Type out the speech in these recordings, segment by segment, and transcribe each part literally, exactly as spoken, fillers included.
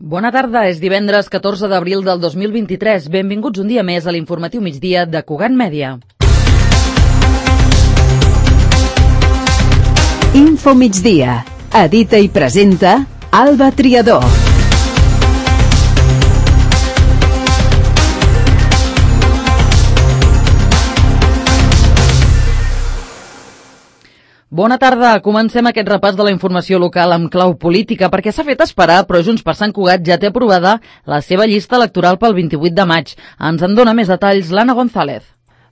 Bona tarda, és divendres catorze d'abril del dos mil vint-i-tres. Benvinguts un dia més a l'informatiu migdia de Cugat Mèdia. Info migdia. Edita i presenta Alba Triador. Bona tarda. Comencem aquest repàs de la informació local amb clau política perquè s'ha fet esperar, però Junts per Sant Cugat ja té aprovada la seva llista electoral pel vint-i-vuit de maig. Ens en dona més detalls l'Anna González.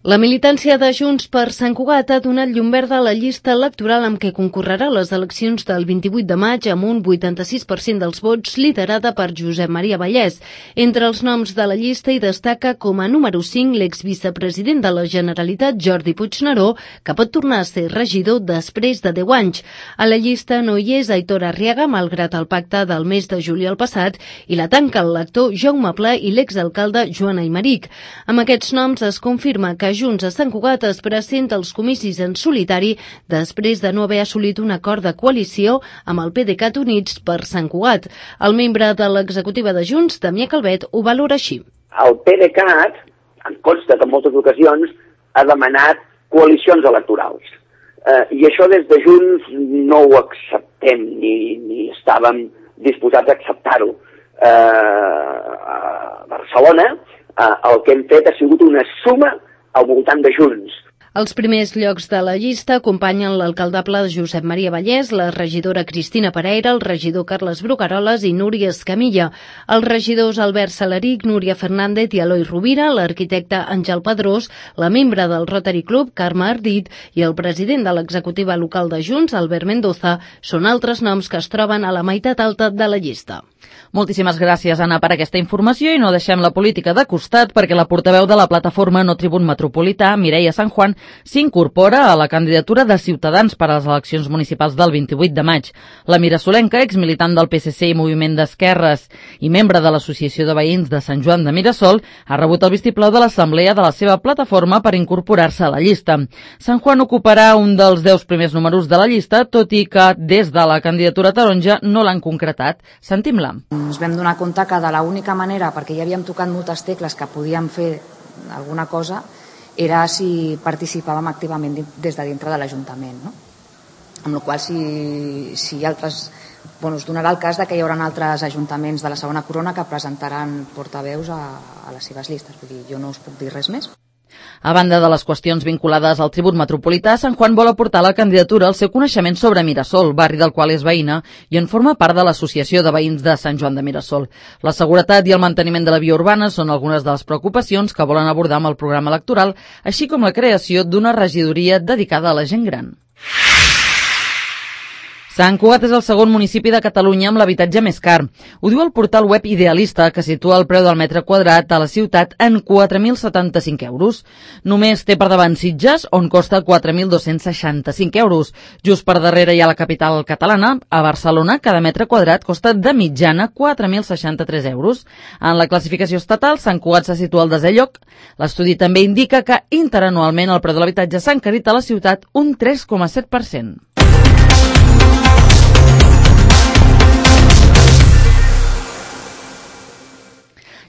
La militància de Junts per Sant Cugat ha donat llum verda a la llista electoral amb què concorrerà a les eleccions del vint-i-vuit de maig amb un vuitanta-sis per cent dels vots, liderada per Josep Maria Vallès. Entre els noms de la llista hi destaca com a número cinc l'exvicepresident de la Generalitat, Jordi Puigneró, que pot tornar a ser regidor després de deu anys. A la llista no hi és Aitor Arriaga, malgrat el pacte del mes de juliol passat, i la tanca el lector Jaume Pla i l'exalcalde Joan Aymeric. Amb aquests noms es confirma que Junts a Sant Cugat es presenta als comicis en solitari després de no haver assolit un acord de coalició amb el PDeCAT Units per Sant Cugat. El membre de l'executiva de Junts, Damià Calvet, ho valora així. El PDeCAT, em consta que en moltes ocasions, ha demanat coalicions electorals. Eh, I això des de Junts no ho acceptem, ni, ni estàvem disposats a acceptar-ho. Eh, a Barcelona eh, el que hem fet ha sigut una suma al voltant de Junts. Els primers llocs de la llista acompanyen l'alcaldable Josep Maria Vallès, la regidora Cristina Pereira, el regidor Carles Brugaroles i Núria Escamilla, els regidors Albert Salaric, Núria Fernández i Eloi Rovira, l'arquitecte Àngel Pedrós, la membre del Rotary Club, Carme Ardit, i el president de l'executiva local de Junts, Albert Mendoza, són altres noms que es troben a la meitat alta de la llista. Moltíssimes gràcies, Anna, per aquesta informació i no deixem la política de costat perquè la portaveu de la plataforma No Tribun Metropolità, Mireia San Juan, s'incorpora a la candidatura de Ciutadans per a les eleccions municipals del vint-i-vuit de maig. La Mirasolenca, exmilitant del P S C i Moviment d'Esquerres i membre de l'Associació de Veïns de Sant Joan de Mirasol, ha rebut el vistiplau de l'assemblea de la seva plataforma per incorporar-se a la llista. San Juan ocuparà un dels deu primers números de la llista, tot i que des de la candidatura taronja no l'han concretat. Sentim-la. Ens vam donar compte que de l'única manera, perquè ja havíem tocat moltes tecles que podíem fer alguna cosa, era si participàvem activament des de dintre de l'Ajuntament, no? Amb la qual cosa, si, si altres, bueno, es donarà el cas de que hi haurà altres ajuntaments de la segona corona que presentaran portaveus a, a les seves llistes. Vull dir, jo no us puc dir res més. A banda de les qüestions vinculades al tribut metropolità, Sant Juan vol aportar a la candidatura el seu coneixement sobre Mirasol, barri del qual és veïna, i en forma part de l'Associació de Veïns de Sant Joan de Mirasol. La seguretat i el manteniment de la via urbana són algunes de les preocupacions que volen abordar amb el programa electoral, així com la creació d'una regidoria dedicada a la gent gran. Sant Cugat és el segon municipi de Catalunya amb l'habitatge més car. Ho diu el portal web Idealista, que situa el preu del metre quadrat a la ciutat en quatre mil setanta-cinc euros. Només té per davant Sitges, on costa quatre mil dos-cents seixanta-cinc euros. Just per darrere hi ha la capital catalana. A Barcelona, cada metre quadrat costa de mitjana quatre mil seixanta-tres euros. En la classificació estatal, Sant Cugat se situa al desè lloc. L'estudi també indica que interanualment el preu de l'habitatge s'ha encarit a la ciutat un tres coma set per cent.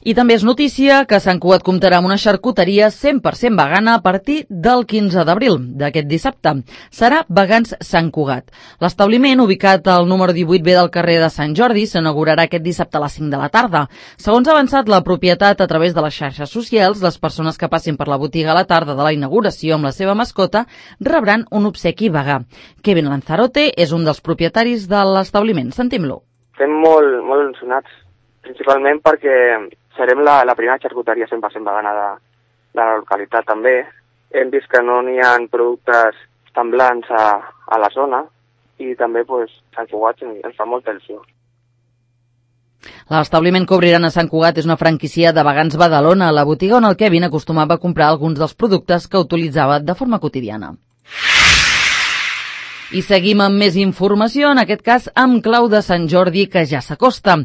I també és notícia que Sant Cugat comptarà amb una xarcuteria cent per cent vegana a partir del quinze d'abril d'aquest dissabte. Serà Vegans Sant Cugat. L'establiment, ubicat al número divuit B del carrer de Sant Jordi, s'inaugurarà aquest dissabte a les cinc de la tarda. Segons ha avançat la propietat a través de les xarxes socials, les persones que passin per la botiga a la tarda de la inauguració amb la seva mascota rebran un obsequi vegà. Kevin Lanzarote és un dels propietaris de l'establiment. Sentim-lo. Estem molt, molt ensonats, principalment perquè serem la, la primera xarcuteria cent per cent vegana de, de la localitat també. Hem vist que no n'hi ha productes semblants a, a la zona i també pues, Sant Cugat ens fa molta il·lusió. L'establiment que obriran a Sant Cugat és una franquícia de Vegans Badalona, la botiga on el Kevin acostumava a comprar alguns dels productes que utilitzava de forma quotidiana. I seguim amb més informació, en aquest cas amb clau de Sant Jordi, que ja s'acosta.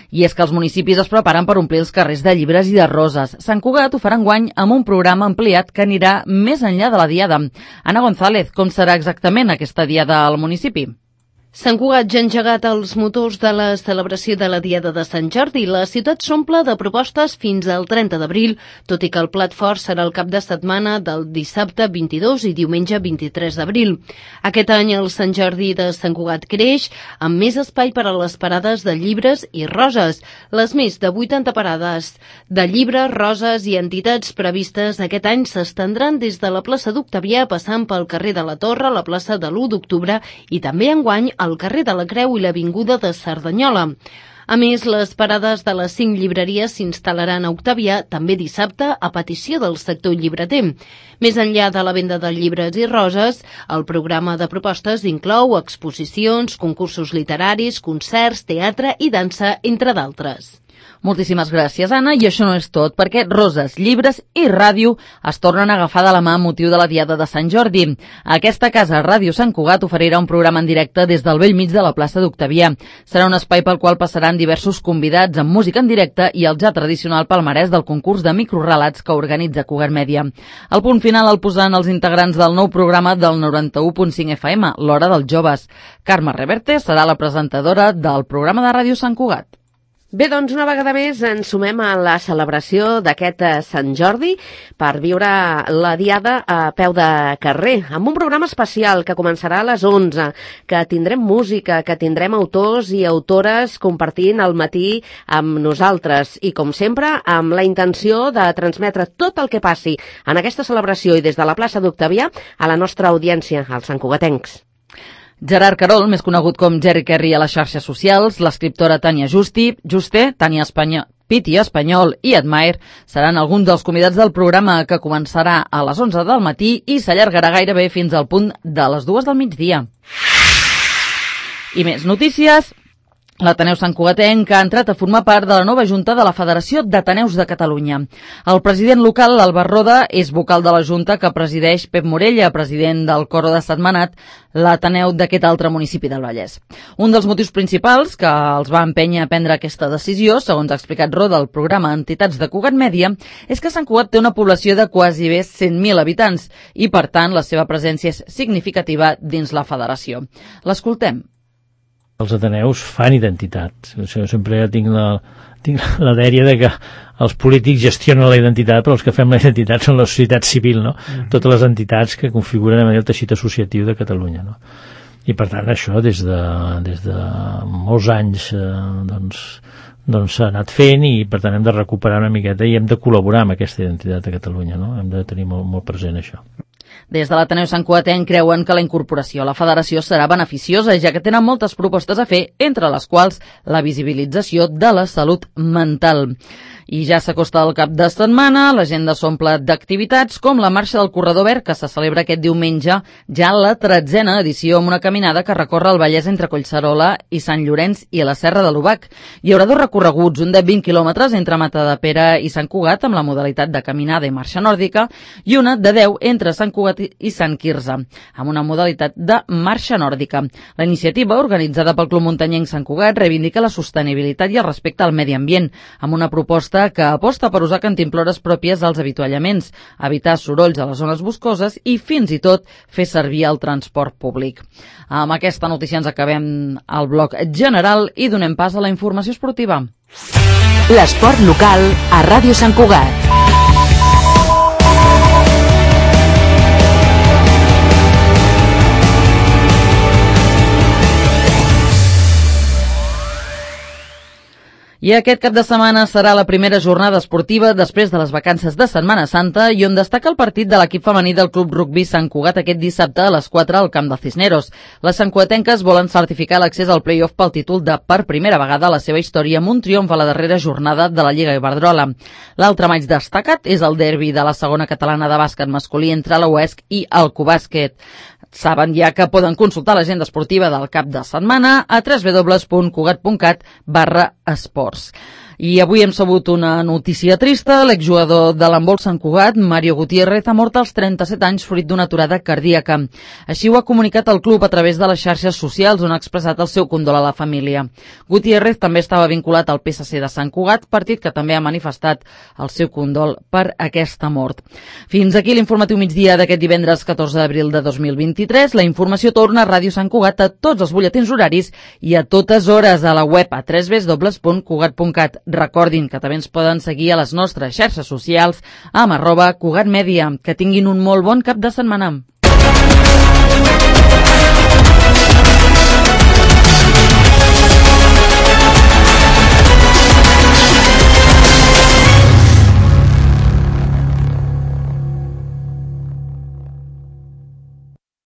I és que els municipis es preparen per omplir els carrers de llibres i de roses. Sant Cugat ho farà enguany amb un programa ampliat que anirà més enllà de la diada. Anna González, com serà exactament aquesta diada al municipi? Sant Cugat ja ha engegat els motors de la celebració de la Diada de Sant Jordi. La ciutat s'omple de propostes fins al trenta d'abril, tot i que el plat fort serà el cap de setmana del dissabte vint-i-dos i diumenge vint-i-tres d'abril. Aquest any el Sant Jordi de Sant Cugat creix, amb més espai per a les parades de llibres i roses. Les més de vuitanta parades de llibres, roses i entitats previstes aquest any s'estendran des de la plaça d'Octavià, passant pel carrer de la Torre, la plaça de l'u d'octubre i també enguany al carrer de la Creu i l'avinguda de Cerdanyola. A més, les parades de les cinc llibreries s'instal·laran a Octavià també dissabte a petició del sector llibreter. Més enllà de la venda de llibres i roses, el programa de propostes inclou exposicions, concursos literaris, concerts, teatre i dansa, entre d'altres. Moltíssimes gràcies, Anna, i això no és tot, perquè roses, llibres i ràdio es tornen a agafar de la mà amb motiu de la Diada de Sant Jordi. Aquesta casa, Ràdio Sant Cugat, oferirà un programa en directe des del bell mig de la plaça d'Octavià. Serà un espai pel qual passaran diversos convidats amb música en directe i el ja tradicional palmarès del concurs de microrelats que organitza Cugat Mèdia. El punt final el posaran els integrants del nou programa del noranta-u punt cinc F M, l'Hora dels Joves. Carme Reverte serà la presentadora del programa de Ràdio Sant Cugat. Bé, doncs una vegada més ens sumem a la celebració d'aquest Sant Jordi per viure la Diada a peu de carrer, amb un programa especial que començarà a les onze, que tindrem música, que tindrem autors i autores compartint el matí amb nosaltres i, com sempre, amb la intenció de transmetre tot el que passi en aquesta celebració i des de la plaça d'Octavià a la nostra audiència, als santcugatencs. Gerard Carol, més conegut com Jerry Kerry a les xarxes socials, l'escriptora Tània Justi, Juste, Tània Espanyol, Piti Espanyol i Admire seran alguns dels convidats del programa que començarà a les onze del matí i s'allargarà gairebé fins al punt de les dues del migdia. I més notícies. L'Ateneu Santcugatenc ha entrat a formar part de la nova Junta de la Federació d'Ateneus de Catalunya. El president local, Albert Roda, és vocal de la Junta que presideix Pep Morella, president del Coro de Sentmenat, l'Ateneu d'aquest altre municipi del Vallès. Un dels motius principals que els va empènyer a prendre aquesta decisió, segons ha explicat Roda al programa Entitats de Cugat Mèdia, és que Sant Cugat té una població de quasi bé cent mil habitants i, per tant, la seva presència és significativa dins la federació. L'escoltem. Els ateneus fan identitat. Jo sempre tinc la, tinc la dèria de que els polítics gestionen la identitat, però els que fem la identitat són la societat civil, no? Mm-hmm. Totes les entitats que configuren el teixit associatiu de Catalunya, no? I per tant això des de, des de molts anys eh, doncs doncs s'ha anat fent i per tant hem de recuperar una miqueta i hem de col·laborar amb aquesta identitat de Catalunya, no? Hem de tenir molt, molt present això. Des de l'Ateneu Santcugatenc creuen que la incorporació a la federació serà beneficiosa, ja que tenen moltes propostes a fer, entre les quals la visibilització de la salut mental. I ja s'acosta el cap de setmana, l'agenda s'omple d'activitats com la Marxa del Corredor Verd, que se celebra aquest diumenge, ja la tretzena edició amb una caminada que recorre el Vallès entre Collserola i Sant Llorenç i la Serra de l'Obac. Hi haurà dos recorreguts, un de vint quilòmetres entre Matadepera i Sant Cugat, amb la modalitat de caminada i marxa nòrdica, i una de deu entre Sant Cugat i Sant Quirze, amb una modalitat de marxa nòrdica. La iniciativa, organitzada pel Club Muntanyenc Sant Cugat, reivindica la sostenibilitat i el respecte al medi ambient, amb una proposta que aposta per usar cantimplores pròpies als avituallaments, evitar sorolls a les zones boscoses i fins i tot fer servir el transport públic. Amb aquesta notícia ens acabem el bloc general i donem pas a la informació esportiva. L'esport local a Ràdio Sant Cugat. I aquest cap de setmana serà la primera jornada esportiva després de les vacances de Setmana Santa i on destaca el partit de l'equip femení del Club Rugby Sant Cugat aquest dissabte a les quatre al camp del Cisneros. Les santcugatenques volen certificar l'accés al play-off pel títol de per primera vegada a la seva història amb un triomf a la darrera jornada de la Lliga Iberdrola. L'altre maig destacat és el derbi de la segona catalana de bàsquet masculí entre la U E S C i el Cubàsquet. Saben ja que poden consultar l'agenda esportiva del cap de setmana a w w w punt cugat punt cat barra esports. I avui hem sabut una notícia trista. L'exjugador de l'handbol Sant Cugat, Mario Gutiérrez, ha mort als trenta-set anys fruit d'una aturada cardíaca. Així ho ha comunicat el club a través de les xarxes socials, on ha expressat el seu condol a la família. Gutiérrez també estava vinculat al P S C de Sant Cugat, partit que també ha manifestat el seu condol per aquesta mort. Fins aquí l'informatiu migdia d'aquest divendres catorze d'abril de dos mil vint-i-tres. La informació torna a Ràdio Sant Cugat a tots els butlletins horaris i a totes hores a la web a w w w punt cugat punt cat. Recordin que també ens poden seguir a les nostres xarxes socials amb arroba Cugat Mèdia. Que tinguin un molt bon cap de setmana.